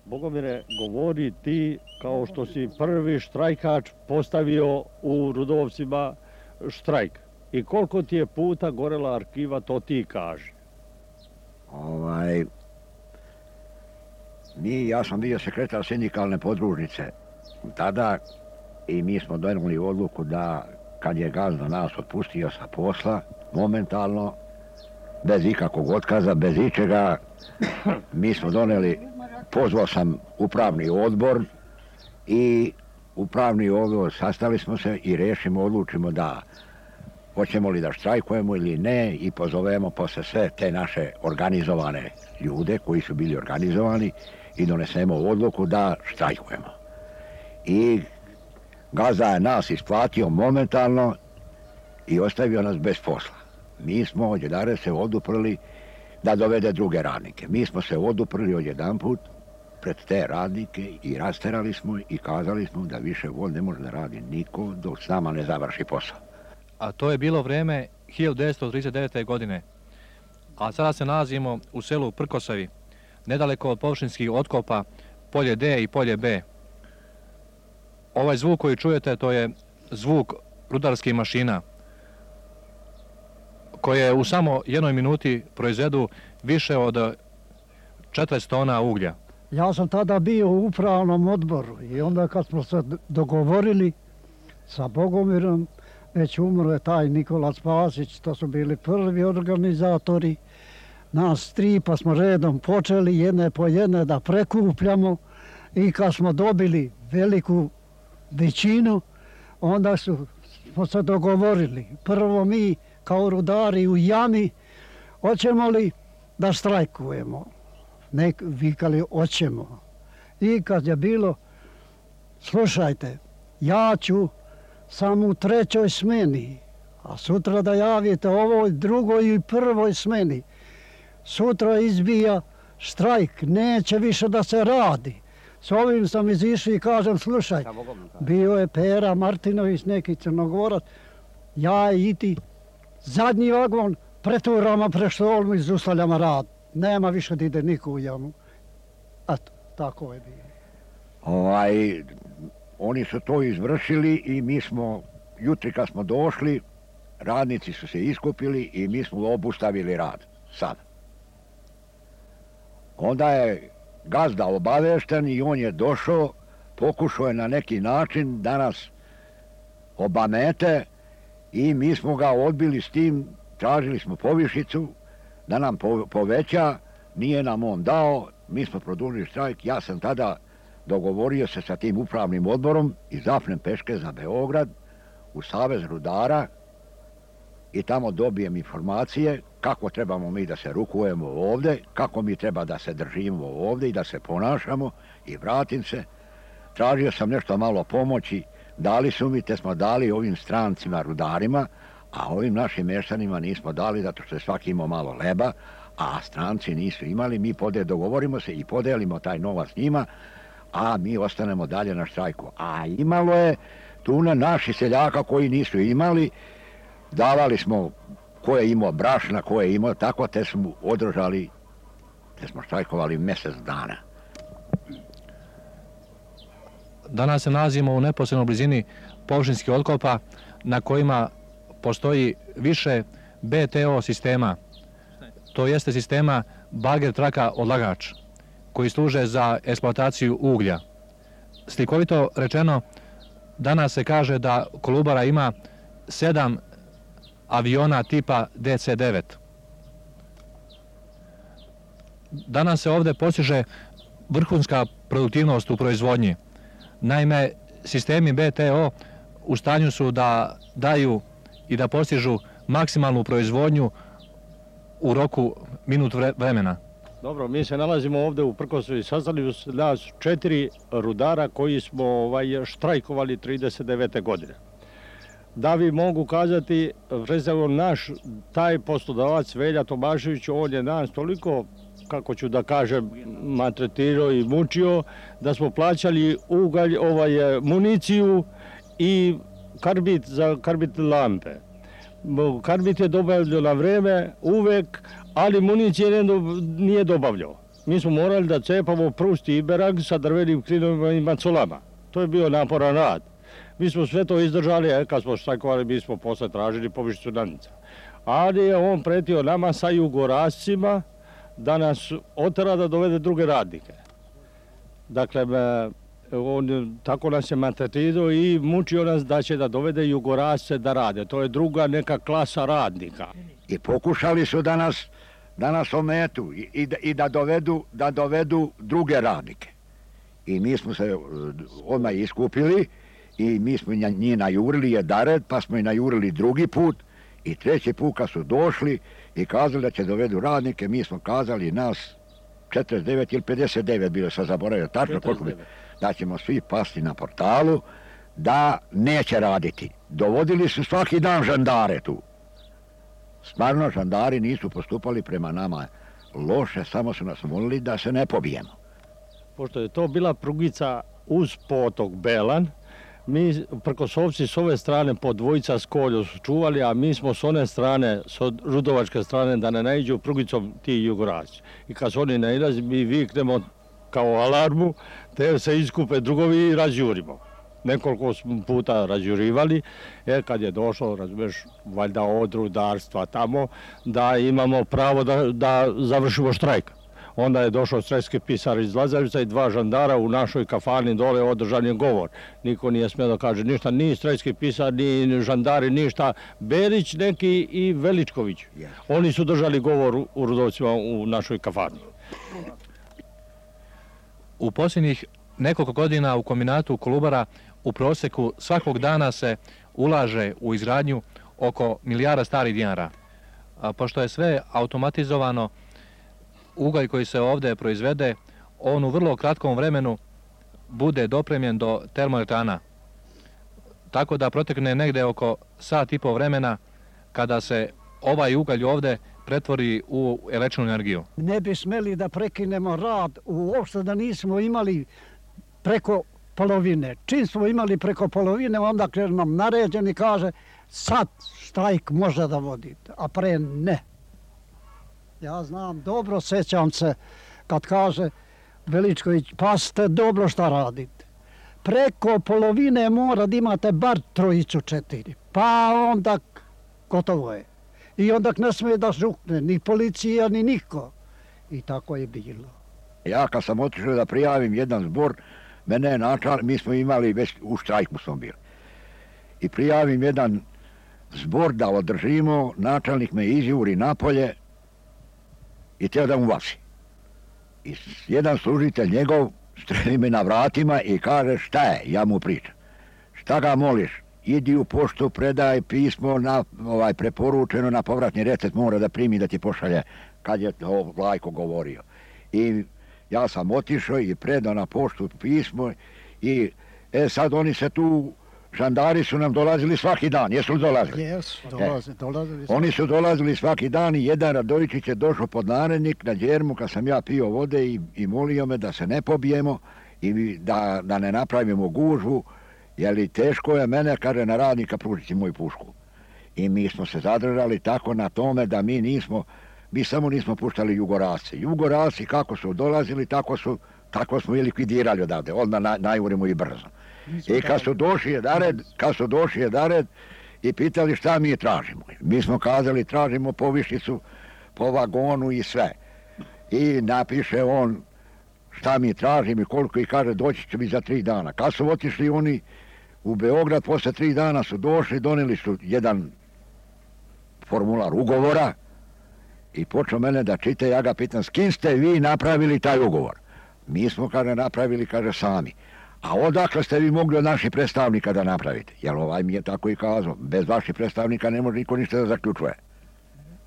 Bogomire, govori ti kao što si prvi štrajkač postavio u Rudovcima štrajk. I koliko ti je puta gorela arhiva, to ti kaži. Ja sam bio sekretar sindikalne podružnice tada i mi smo donijeli odluku da kad je gazda nas otpustio sa posla, momentalno, bez ikakvog otkaza, bez ičega, mi smo donijeli, pozvao sam upravni odbor i upravni odbor sastali smo se i odlučimo da hoćemo li da štrajkujemo ili ne i pozovemo posle sve te naše organizovane ljude koji su bili organizovani i donesemo odluku da štrajkujemo. I gazda je nas isplatio momentalno i ostavio nas bez posla. Mi smo odjedare se oduprli da dovede druge radnike. Mi smo se oduprli odjedanput pred te radnike i rasterali smo i kazali smo da više Vod ne može da radi niko dok s nama ne završi posao. A to je bilo vreme 1939. godine. A sada se nalazimo u selu Prkosavi, nedaleko od površinskih otkopa polje D i polje B. Ovaj zvuk koji čujete, to je zvuk rudarskih mašina, koje u samo jednoj minuti proizvedu više od 40 tona uglja. Ja sam tada bio u upravnom odboru i onda kad smo se dogovorili sa Bogomirom, već umro je taj Nikola Spasić, to su bili prvi organizatori, nas tri, pa smo redom počeli jedne po jedne da prekupljamo i kad smo dobili veliku većinu, onda smo se dogovorili. Prvo mi kao rudari u jami, hoćemo li da štrajkujemo? Vikali, hoćemo. I kad je bilo, slušajte, ja ću samo u 3. smeni, a sutra da javite ovoj 2. i 1. smeni. Sutra izbija štrajk, neće više da se radi. S ovim sam izišao i kažem, slušaj, bio je Pera Martinović, neki Crnogorac, ja i ti, zadnji vagon, preturamo preštolmu i zustavljamo rad. Nema više da ide niko u jamu. Eto, tako je bilo. Oni su to izvršili i mi smo, jutri kad smo došli, radnici su se iskupili i mi smo obustavili rad. Sad. Onda je gazda obavešten i on je došao, pokušao je na neki način da nas obamete i mi smo ga odbili s tim, tražili smo povišicu da nam poveća, nije nam on dao, mi smo produžili štrajk, ja sam tada dogovorio se sa tim upravnim odborom i zapnem peške za Beograd u Savez rudara i tamo dobijem informacije kako trebamo mi da se rukujemo ovde, kako mi treba da se držimo ovde i da se ponašamo i vratim se. Tražio sam nešto malo pomoći, dali su mi, te smo dali ovim strancima rudarima, a ovim našim meštanima nismo dali zato što je svaki imao malo leba, a stranci nisu imali, mi dogovorimo se i podelimo taj novac njima, a mi ostanemo dalje na štrajku. A imalo je tu naši seljaka koji nisu imali, davali smo ko je imao brašna, ko je imao tako, te smo održali, te smo štrajkovali mjesec dana. Danas se nalazimo u neposrednoj blizini površinskih otkopa na kojima postoji više BTO sistema. To jeste sistema bager traka odlagač, koji služe za eksploataciju uglja. Slikovito rečeno, danas se kaže da Kolubara ima 7 aviona tipa DC-9. Danas se ovde postiže vrhunska produktivnost u proizvodnji. Naime, sistemi BTO u stanju su da daju i da postižu maksimalnu proizvodnju u roku minut vremena. Dobro, mi se nalazimo ovde u Prkosavi, sastali su nas 4 rudara koji smo štrajkovali 39. godine. Da vi mogu kazati, recimo naš taj poslodavac Velja Tomašević, on je nas toliko, kako ću da kažem, maltretirao i mučio, da smo plaćali ugalj, municiju i karbid za karbid lampe. Karbid je dobavljao na vreme, uvek, ali municije nije dobavljao. mi smo morali da cepamo prust i iberag sa drvenim klinovima i macolama. To je bio naporan rad. Mi smo sve to izdržali, kad smo štrajkovali, mi smo posle tražili povišicu nadnica. Ali je on pretio nama sa jugorascima da nas otera da dovede druge radnike. Dakle, on tako nas je maltretirao i mučio nas da će da dovede jugorasce da rade. To je druga neka klasa radnika. I pokušali su da nas ometu i da dovedu druge radnike. I mi smo se odmah iskupili i mi smo njih najurili jedared, pa smo i najurili drugi put i treći put kad su došli i kazali da će dovedu radnike, mi smo kazali nas 49 ili 59, bilo sam zaboravio tačno koliko bi, da ćemo svi pasti na portalu, da neće raditi. Dovodili su svaki dan žandare tu. Stvarno, žandari nisu postupali prema nama loše, samo su nas molili da se ne pobijemo. Pošto je to bila prugica uz potok Belan, mi prkosovci s ove strane po dvojica s kolju su čuvali, a mi smo s one strane, s rudovačke strane, da ne naiđu prugicom ti jugorasci. I kad su oni nailazi, mi viknemo kao alarmu, te se iskupe drugovi i razjurimo. Nekoliko smo puta razjurivali, kad je došlo, razumiješ, valjda od rudarstva tamo, da imamo pravo da završimo štrajk. Onda je došao strelski pisar iz Lazarevca i dva žandara u našoj kafani dole, održan je govor. Niko nije smio da kaže ništa, ni strelski pisar, ni žandari, ništa. Berić neki i Veličković. Oni su držali govor u Rudovcima u našoj kafani. U posljednjih nekoliko godina u kombinatu Kolubara u proseku svakog dana se ulaže u izgradnju oko milijarda starih dinara. Pošto je sve automatizovano, ugalj koji se ovdje proizvede, on u vrlo kratkom vremenu bude dopremljen do termoelektrana. Tako da protekne negde oko sat i po vremena kada se ovaj ugalj ovdje pretvori u električnu energiju. Ne bi smeli da prekinemo rad uopšte da nismo imali preko polovine. Čim smo imali preko polovine, onda nam naređeni kaže sad štrajk može da vodite, a pre ne. Ja znam, dobro sećam se kad kaže Veličković, pa ste dobro šta radite. Preko polovine mora da imate bar trojicu, 4, pa onda gotovo je. I onda ne smije da žukne ni policija, ni niko. I tako je bilo. Ja kad sam otišao da prijavim jedan zbor, mene je načal, mi smo imali, već u štrajku smo bili. I prijavim jedan zbor da održimo, načalnik me izjuri napolje i teo da mu vaši. I jedan služitelj njegov streli me na vratima i kaže šta je, ja mu pričam. Šta ga moliš? Idi u poštu, predaj pismo preporučeno na povratni recept, mora da primi da ti pošalje, kad je to Vlajko govorio. I ja sam otišao i predao na poštu pismo i sad oni se tu, žandari su nam dolazili svaki dan, jesu li dolazili? Jesu, dolazili. Oni su dolazili svaki dan i jedan Radovičić je došao pod narednik na Đermu kad sam ja pio vode i molio me da se ne pobijemo i da ne napravimo gužvu, jer teško je mene, kaže, na radnika pružiti moju pušku. I mi smo se zadržali tako na tome da mi samo nismo puštali jugorasce. Jugorasci kako su dolazili, tako smo i likvidirali odavde, onda najurimo i brzo. I kad su došli jedared i pitali šta mi tražimo. Mi smo kazali tražimo povišicu po vagonu i sve. I napiše on šta mi tražimo i koliko i kaže doći će mi za 3 dana. Kad su otišli oni u Beograd, posle 3 dana su došli, doneli su jedan formular ugovora i počeo mene da čita, ja ga pitam s kim ste vi napravili taj ugovor? Mi smo, kaže, napravili, kaže, sami. A odakle ste vi mogli od naših predstavnika da napravite? Jer ovaj mi je tako i kazao, bez vaših predstavnika ne može niko ništa da zaključuje.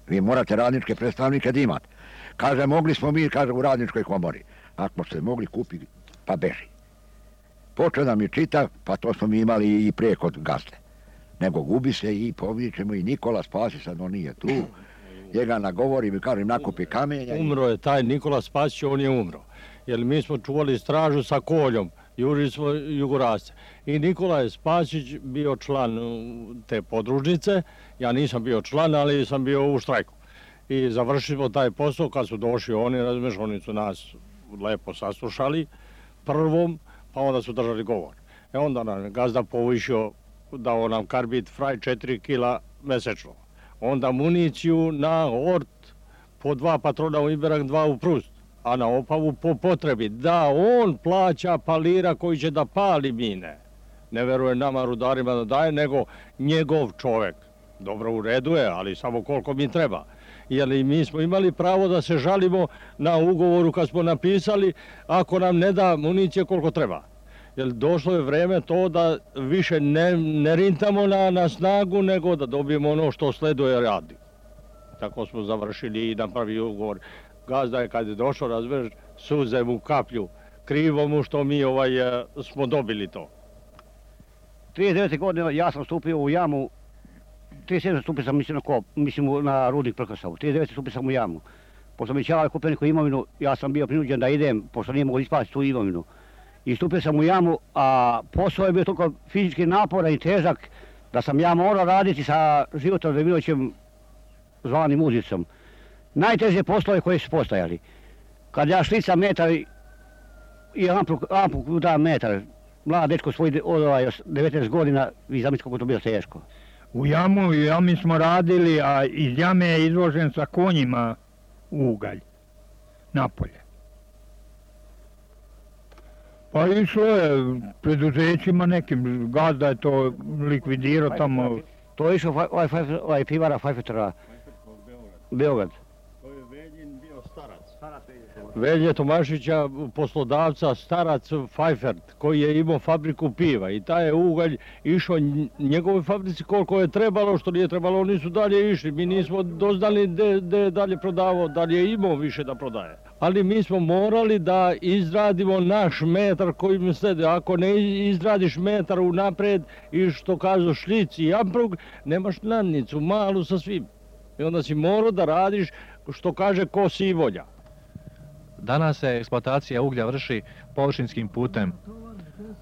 Vi morate radničke predstavnike da imate. Kaže, mogli smo mi, kaže, u radničkoj komori. Ako ste mogli kupiti, pa beži. Počeo da mi čita, pa to smo mi imali i prije kod gazde. Nego gubi se i povićemo i Nikola Spasić, sad on nije tu. Njega nagovori, mi kažem, nakupi kamenja. Umro je taj Nikola Spasić, on je umro. Jer mi smo čuvali stražu sa koljom, jurili smo jugorasce. I Nikola je Spasić bio član te podružnice, ja nisam bio član, ali sam bio u štrajku. i završili smo taj posao. Kad su došli oni, razumiješ, oni su nas lepo saslušali prvom, pa onda su držali govor. Onda nam gazda povišio, dao nam karbid fraj 4 kila mesečno. Onda municiju na ort po 2 patrona u Iberak, 2 u Prust, a na Opavu po potrebi. Da on plaća palira koji će da pali mine. Ne veruje nama rudarima da daje, nego njegov čovek. Dobro, u redu je, ali samo koliko mi treba. Jer mi smo imali pravo da se žalimo na ugovoru kad smo napisali, ako nam ne da municije koliko treba. Jer došlo je vreme to da više ne rintamo na snagu, nego da dobijemo ono što sleduje radi. Tako smo završili i napravili ugovor. Gazda je kad je došao, razumiješ, suze mu kaplju, krivo mu što mi smo dobili to. 39. godine ja sam stupio u jamu, 37. stupio sam mislim na rudnik Prkosovu, 39. stupio sam u jamu. Pošto mi Čelave kupio neku imovinu, ja sam bio prinuđen da idem, pošto nije mogu ispasti tu imovinu. I stupio sam u jamu, a posao je bio toliko fizički naporan i težak da sam ja morao raditi sa Životom Demirovićem zvanim Uzicom. Najteže poslove koje su postojali. Kad ja šlicam metar i ampuk da metar, mlad dečko svoj 19 godina, vi zamislite kako to bilo teško. U jami smo radili, a iz jame je izložen sa konjima ugalj napolje. Pa išlo je preduzećima nekim, gazda je to likvidirao tamo. To je išao pivara Fajfetera, Beograd. To je Veljin bio starac. Velje Tomašića, poslodavca, starac Fajfert, koji je imao fabriku piva i taj je ugalj išao njegovoj fabrici koliko je trebalo, što nije trebalo, oni su dalje išli. Mi nismo doznali gde je dalje prodavao, da li je imao više da prodaje. Ali mi smo morali da izradimo naš metar kojim slede. Ako ne izradiš metar unapred i što kažu šlic i amprug, nemaš nadnicu, malu sa svim. I onda si morao da radiš što kaže ko si volja. Danas se eksploatacija uglja vrši površinskim putem,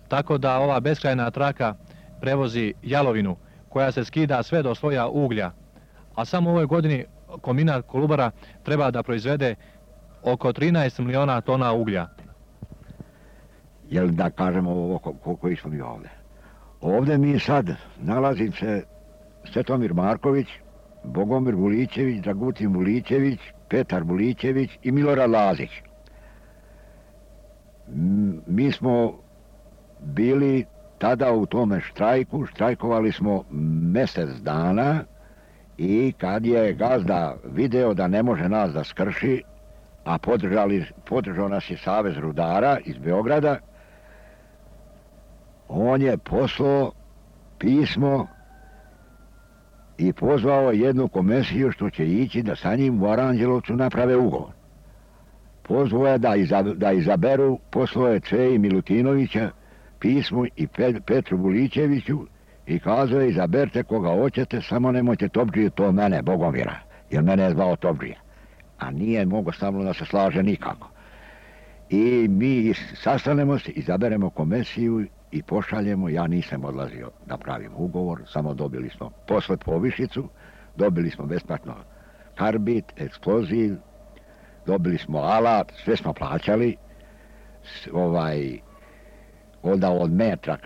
tako da ova beskrajna traka prevozi jalovinu koja se skida sve do sloja uglja, a samo u ovoj godini kombinat Kolubara treba da proizvede oko 13 miliona tona uglja. Jel da kažemo ovo koji smo mi ovdje? Ovdje mi sad nalazim se Svetomir Marković, Bogomir Vulićević, Dragutin Vulićević, Petar Vulićević i Milorad Lazić. Mi smo bili tada u tome štrajku, štrajkovali smo mjesec dana i kad je gazda video da ne može nas da skrši, a podržao nas je Savez rudara iz Beograda, on je poslao pismo i pozvao jednu komisiju što će ići da sa njim u Aranđelovcu naprave ugovor. Pozvao je da izaberu, poslao je Ceji Milutinovića pismo i Petru Vulićeviću i kazao je izaberte koga hoćete, samo nemojte Topdžiju, to mene, Bogomira, jer mene je zvao Topdžija. A nije mogo stavno da se slaže nikako. I mi sastanemo se, izaberemo komisiju i pošaljemo, ja nisam odlazio da pravim ugovor, samo dobili smo posle povišicu, dobili smo besplatno karbid, eksploziv, dobili smo alat, sve smo plaćali, onda od metra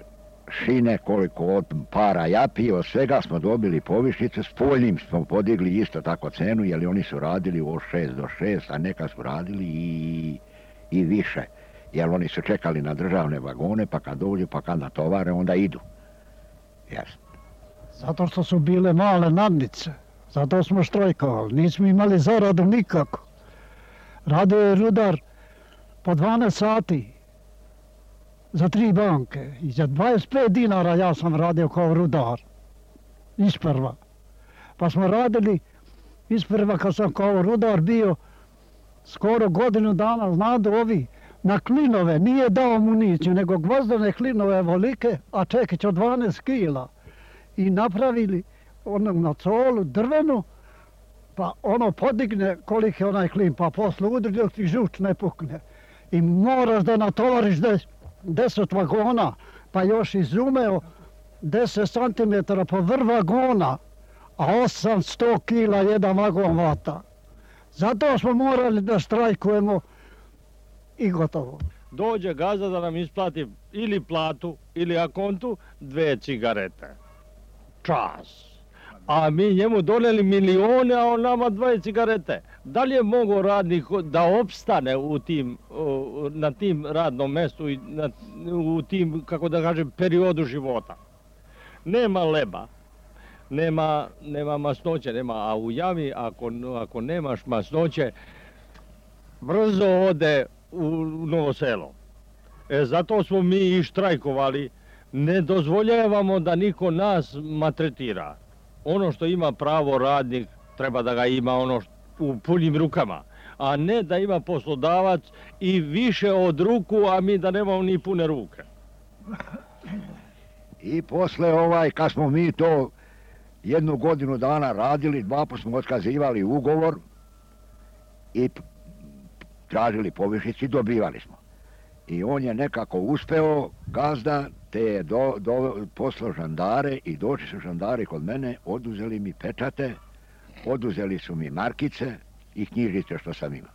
šine, koliko od para japi, od svega smo dobili povišice, s poljnim smo podigli isto tako cenu, jer oni su radili od 6 do 6, a neka su radili i više. Jer oni su čekali na državne vagone, pa kad dođu, pa kad natovare, onda idu. Jasno. Zato što su bile male nadnice. Zato smo štrajkovali. Nismo imali zaradu nikako. Radio je rudar po 12 sati za 3 banke. I za 25 dinara ja sam radio kao rudar. Isprva. Pa smo radili isprva kad sam kao rudar bio skoro godinu dana, znadu ovi, na klinove, nije dao municiju, nego gvozdane klinove volike, a čekić od 12 kila. I napravili na colu drvenu, pa ono podigne koliki je onaj klin, pa posle udri dok ti žuč ne pukne. I moraš da natovariš 10 vagona, pa još izumeo 10 cm po vrh vagona, a 800 kila jedan vagon vata. Zato smo morali da štrajkujemo i gotovo. Dođe gazda da nam isplati ili platu ili akontu 2 cigarete. Čas. A mi njemu doneli milione, a on nama 2 cigarete. Da li je mogao radnik da opstane na tim radnom mestu i u tim, kako da kažem, periodu života? Nema leba, nema masnoće, a u jami ako nemaš masnoće, brzo ode u Novo Selo. Zato smo mi i štrajkovali, ne dozvoljavamo da niko nas maltretira. Ono što ima pravo radnik, treba da ga ima u punim rukama, a ne da ima poslodavac i više od ruku, a mi da nemamo ni pune ruke. I posle kad smo mi to 1 godinu dana radili, 2 puta smo otkazivali ugovor i tražili povišici, dobivali smo. I on je nekako uspeo, gazda, te je poslao žandare i došli su žandari kod mene, oduzeli mi pečate, oduzeli su mi markice i knjižice što sam imao.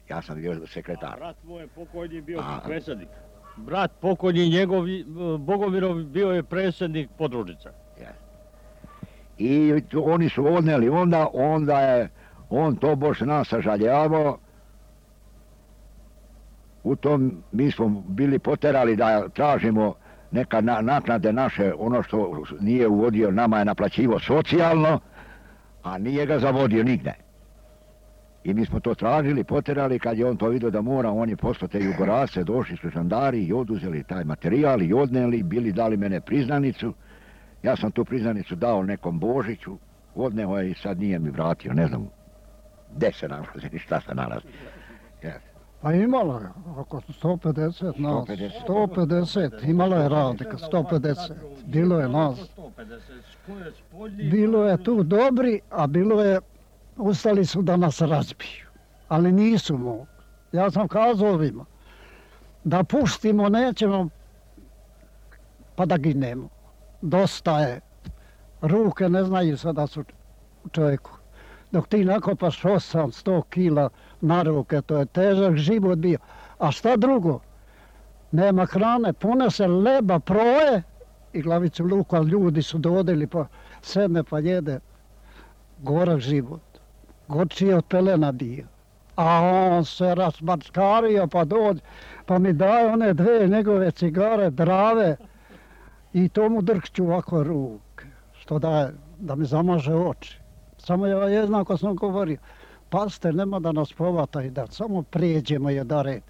Ja sam bio sekretar. A brat moj pokojni bio predsjednik. Brat pokojni njegov, Bogomirov, bio je predsjednik podružnice. I oni su odneli onda je on to baš nas sažaljavao. U tom mi smo bili poterali da tražimo neka naknade naše, ono što nije uvodio, nama je naplaćivo socijalno, a nije ga zavodio nigde. I mi smo to tražili, poterali, kad je on to vidio da mora, on je poslao te Jugorace, došli su žandari i oduzeli taj materijal i odneli, dali mene priznanicu. Ja sam tu priznanicu dao nekom Božiću, odneo je i sad nije mi vratio, ne znam gde se nalazi ni šta se nalazi. Pa imala je oko 150 nas, 150, imala je radnika, 150, bilo je nas. Bilo je tu dobri, a bilo je, ustali su da nas razbiju, ali nisu mogli. Ja sam kazao ovima, da pustimo, nećemo, pa da ginemo. Dosta je, ruke ne znaju sada su čovjeku. Dok ti nakopaš 800 kila na ruke, to je težak život bio. A šta drugo? Nema hrane, ponese leba, proje i glavicu luka, ljudi su dodeli pa sedne pa jede. Gorak život. Gorčiji od pelena bio. A on se razmačkario pa dođe, pa mi daje one 2 njegove cigare, drave i to mu drhću ovako ruke, što daje, da mi zamaže oči. Samo ja jednako sam govorio, pazite, nema da nas povata i da samo prijeđemo jedare,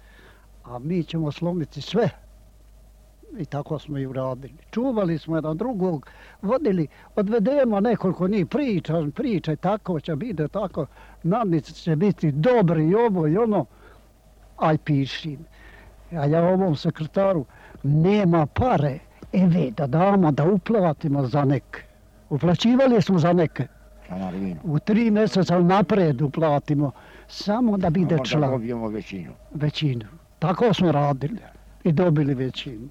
a mi ćemo slomiti sve. I tako smo i uradili. Čuvali smo jedan drugog, vodili, odvedemo nekoliko njih, pričaj, tako će biti, tako, nadnice će biti dobri i ovo i ono, aj piši. A ja ovom sekretaru, nema pare, da damo, da uplatimo za neke. Uplaćivali smo za neke. U 3 mjeseca napred uplatimo, samo da bude član. Da dobijemo većinu. Većinu. Tako smo radili i dobili većinu.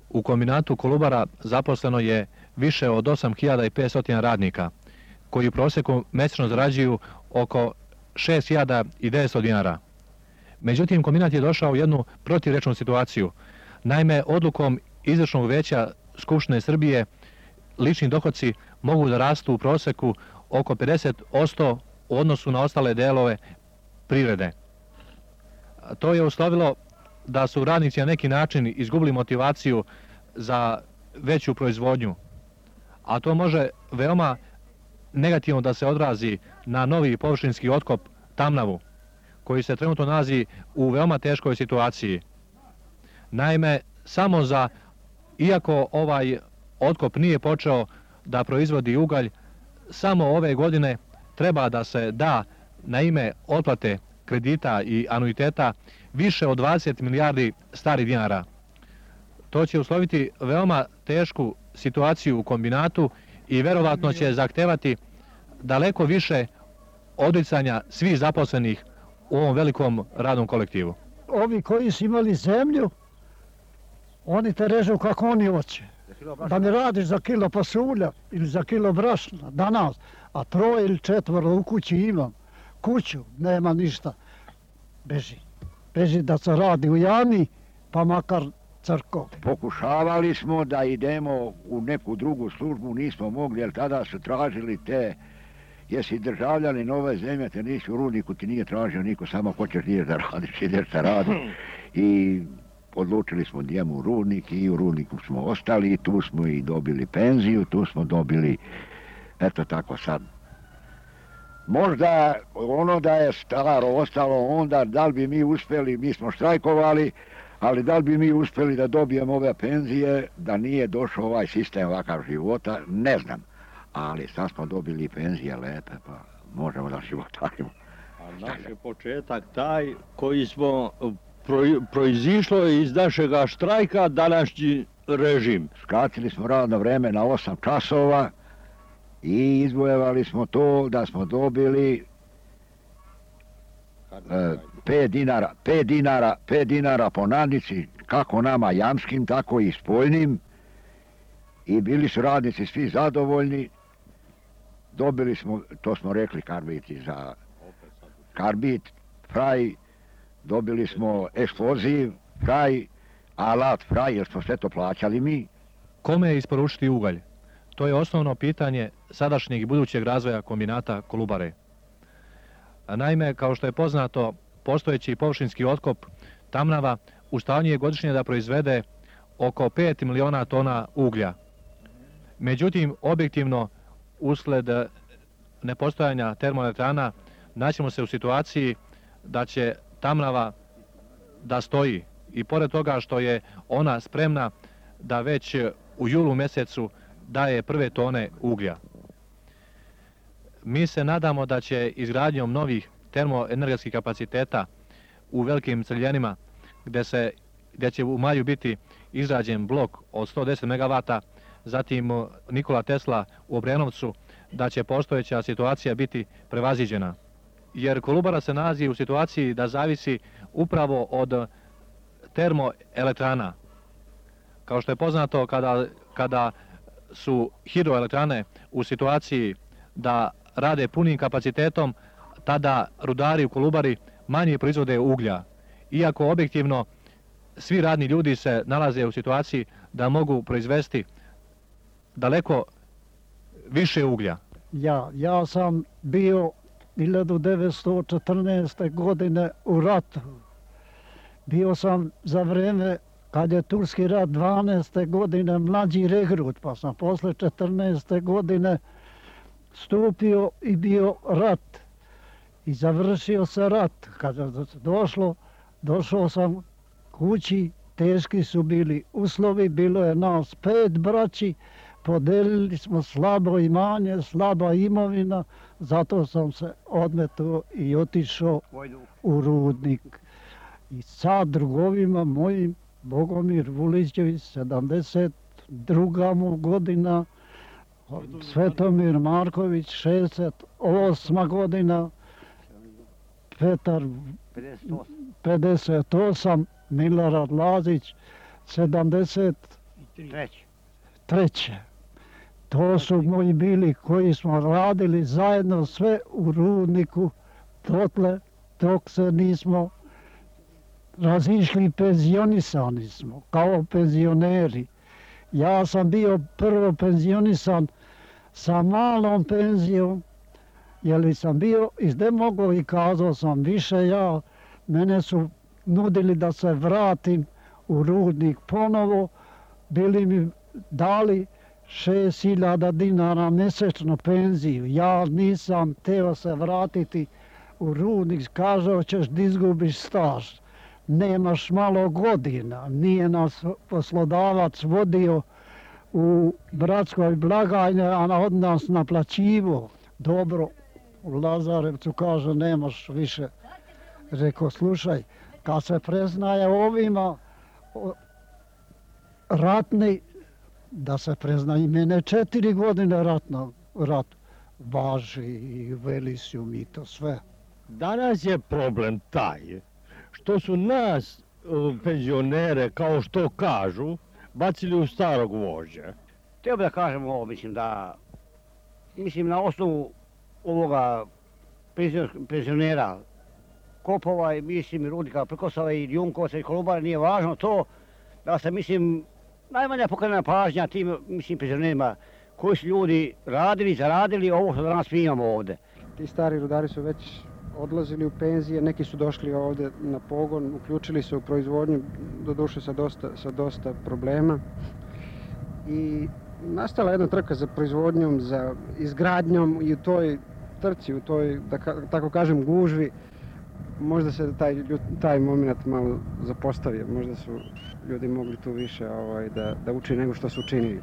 U kombinatu Kolubara zaposleno je više od 8500 radnika, koji u prosjeku mjesečno zarađuju oko 6900 dinara. Međutim, kombinat je došao u jednu protivrečnu situaciju. Naime, odlukom izvršnog veća Skupštine Srbije lični dohodci mogu da rastu u prosjeku oko 50% u odnosu na ostale delove privrede. To je uslovilo da su radnici na neki način izgubili motivaciju za veću proizvodnju, a to može veoma negativno da se odrazi na novi površinski otkop Tamnavu, koji se trenutno nalazi u veoma teškoj situaciji. Naime, iako ovaj otkop nije počeo da proizvodi ugalj, samo ove godine treba da se da na ime otplate kredita i anuiteta više od 20 milijardi starih dinara. To će usloviti veoma tešku situaciju u kombinatu i verovatno će zahtevati daleko više odricanja svih zaposlenih u ovom velikom radnom kolektivu. Ovi koji su imali zemlju, oni te režu kako oni hoće. da mi radiš za kilo pasulja ili za kilo brašna danas, a 3 ili 4 u kući imam. Kuću, nema ništa. Beži. Beži da se radi u jami, pa makar crkov. Pokušavali smo da idemo u neku drugu službu, nismo mogli, jer tada su tražili te, jesi državljanin ove zemlje, te nisi u rudniku, ti nije tražio niko, samo hoćeš ideš da radiš, ideš da radiš. I odlučili smo njemu u rudnik i u rudniku smo ostali i tu smo i dobili penziju, tu smo dobili, eto tako sad. Možda ono da je staro ostalo onda, da li bi mi uspjeli, mi smo štrajkovali, ali da li bi mi uspjeli da dobijemo ove penzije, da nije došao ovaj sistem ovakav života, ne znam. Ali sad smo dobili penzije lepe, pa možemo da životarimo. A naš je početak taj koji smo proizišlo iz našega štrajka današnji režim. Skratili smo radno vreme na 8 časova i izvojevali smo to da smo dobili 5 dinara po nadnici, kako nama jamskim, tako i spoljnim. I bili su radnici svi zadovoljni. Dobili smo, to smo rekli karbiti za karbit, fraj, dobili smo eksploziv, fraj, alat, fraj, jer smo sve to plaćali mi. Kome isporučiti ugalj? To je osnovno pitanje sadašnjeg i budućeg razvoja kombinata Kolubare. Naime, kao što je poznato, postojeći površinski otkop Tamnava u stanju je godišnje da proizvede oko 5 miliona tona uglja. Međutim, objektivno, usled nepostojanja termoelektrana, naćemo se u situaciji da će Tamnava da stoji. I pored toga što je ona spremna da već u julu mjesecu daje prve tone uglja. Mi se nadamo da će izgradnjom novih termoenergetskih kapaciteta u velikim crljenima, gdje će u maju biti izrađen blok od 110 MW, zatim Nikola Tesla u Obrenovcu, da će postojeća situacija biti prevaziđena. Jer Kolubara se nalazi u situaciji da zavisi upravo od termoelektrana. Kao što je poznato, kada su hidroelektrane u situaciji da rade punim kapacitetom, tada rudari u Kolubari manje proizvode uglja. Iako objektivno svi radni ljudi se nalaze u situaciji da mogu proizvesti daleko više uglja. Ja sam bio 1914. godine u ratu. Bio sam za vrijeme kad je Turski rat 12. godine mlađi regrut, pa sam posle 14. godine stupio i bio rat. I završio se rat. Kad je došao sam kući, teški su bili uslovi, bilo je nas 5 braći, podelili smo slabo imanje, slaba imovina, zato sam se odmetao i otišao u rudnik. I sa drugovima mojim, Bogomir Vulićević, 72. mu godina, Svetomir Marković, 68. godina, Petar 58, Milorad Lazić, 73. To su moji bili koji smo radili zajedno sve u rudniku, dotle dok se nismo razišli, penzionisani smo, kao penzioneri. Ja sam bio prvo penzionisan sa malom penzijom, jer sam bio izdemogao i kazao sam više mene su nudili da se vratim u rudnik ponovo, bili mi dali 6.000 dinara mjesečno penziju. Ja nisam teo se vratiti u rudnik, kazao ćeš da izgubiš staž. Nemaš malo godina, nije nas poslodavac vodio u bratskoj blagajni, a od nas naplaćivo. Dobro, u Lazarevcu kaže nemaš više. Rekao, slušaj, kad se preznaje ovima ratni, da se prezna i mene 4 godine rat važi i veli su mi to sve. Danas je problem taj što su nas penzionere, kao što kažu, bacili u starog vožđa. Htio bih da kažem ovo, mislim na osnovu ovoga penzionera Kopova i mislim i Rudnika Prkosova i Junkovaca i Kolubara, nije važno to da se najmanja pokrenena pažnja tim penzionerima koji su ljudi radili, zaradili ovo što danas mi imamo ovde. Ti stari rudari su već odlazili u penzije, neki su došli ovde na pogon, uključili se u proizvodnju, doduše sa dosta problema. I nastala jedna trka za proizvodnjom, za izgradnjom i u toj trci, u toj, da tako kažem, gužvi, možda se taj moment malo zapostavio, možda su ljudi mogli tu više da uči nego što su učinili.